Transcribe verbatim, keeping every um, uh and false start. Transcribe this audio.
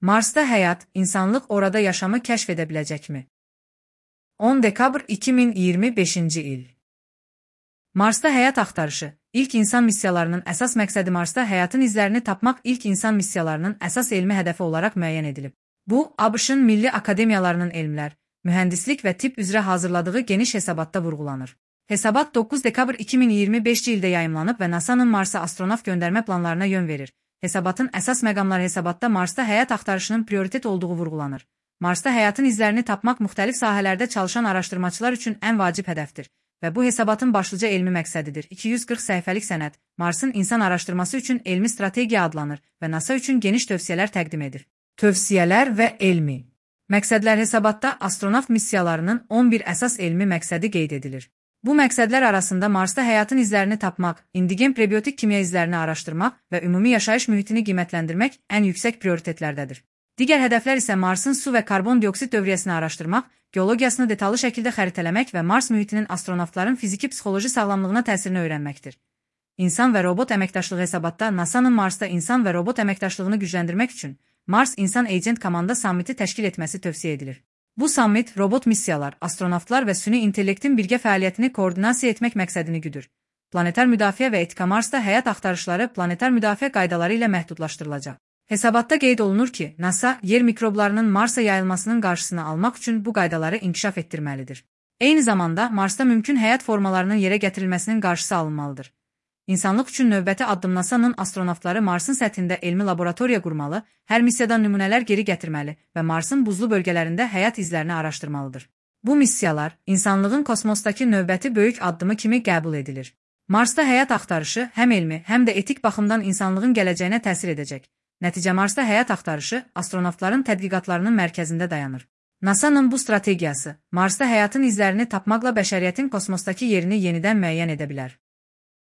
Marsda həyat, insanlıq orada yaşamı kəşf edə biləcəkmi? on dekabr iki min iyirmi beşinci il. Marsda həyat axtarışı. İlk insan missiyalarının əsas məqsədi Marsda həyatın izlərini tapmaq ilk insan missiyalarının əsas elmi hədəfi olaraq müəyyən edilib. Bu, ABŞ-ın milli akademiyalarının elmlər, mühəndislik və tibb üzrə hazırladığı geniş hesabatda vurğulanır. Hesabat doqquz dekabr iki min iyirmi beşinci ildə yayımlanıb və NASA'nın Marsa astronavt göndərmə planlarına yön verir. Hesabatın əsas məqamları hesabatda Marsda həyat axtarışının prioritet olduğu vurğulanır. Marsda həyatın izlərini tapmaq müxtəlif sahələrdə çalışan araşdırmaçılar üçün ən vacib hədəfdir və bu hesabatın başlıca elmi məqsədidir. iki yüz qırx səhifəlik sənəd Marsın insan araşdırması üçün elmi strategiya adlanır və NASA üçün geniş tövsiyələr təqdim edir. Tövsiyələr və elmi məqsədlər hesabatda astronavt missiyalarının on bir əsas elmi məqsədi qeyd edilir. Bu məqsədlər arasında Marsda həyatın izlərini tapmaq, indigen prebiotik kimya izlərini araşdırmaq və ümumi yaşayış mühitini qiymətləndirmək ən yüksək prioritetlərdədir. Digər hədəflər isə Marsın su və karbon dioksid dövriyyəsini araşdırmaq, geologiyasını detallı şəkildə xəritələmək və Mars mühitinin astronavtların fiziki-psixoloji sağlamlığına təsirini öyrənməkdir. İnsan və robot əməkdaşlığı hesabatda NASA'nın Marsda insan və robot əməkdaşlığını gücləndirmək üçün Mars İnsan Agent Komanda Sammiti təşkil etməsi tövsiyə edilir. Bu sammit robot missiyalar, astronavtlar və süni intellektin birgə fəaliyyətini koordinasiya etmək məqsədini güdür. Planetar müdafiə və etika Marsda həyat axtarışları planetar müdafiə qaydaları ilə məhdudlaşdırılacaq. Hesabatda qeyd olunur ki, NASA yer mikroblarının Marsa yayılmasının qarşısını almaq üçün bu qaydaları inkişaf etdirməlidir. Eyni zamanda Marsda mümkün həyat formalarının yerə gətirilməsinin qarşısı alınmalıdır. İnsanlıq üçün növbəti addım NASA'nın astronavtları Marsın səthində elmi laboratoriya qurmalı, hər missiyadan nümunələr geri gətirməli və Marsın buzlu bölgələrində həyat izlərini araşdırmalıdır. Bu missiyalar insanlığın kosmosdakı növbəti böyük addımı kimi qəbul edilir. Marsda həyat axtarışı həm elmi, həm də etik baxımdan insanlığın gələcəyinə təsir edəcək. Nəticə Marsda həyat axtarışı astronavtların tədqiqatlarının mərkəzində dayanır. NASA'nın bu strategiyası Marsda həyatın izlərini tapmaqla bəşəriyyətin kosmosdakı yerini yenidən müəyyən edə bilər.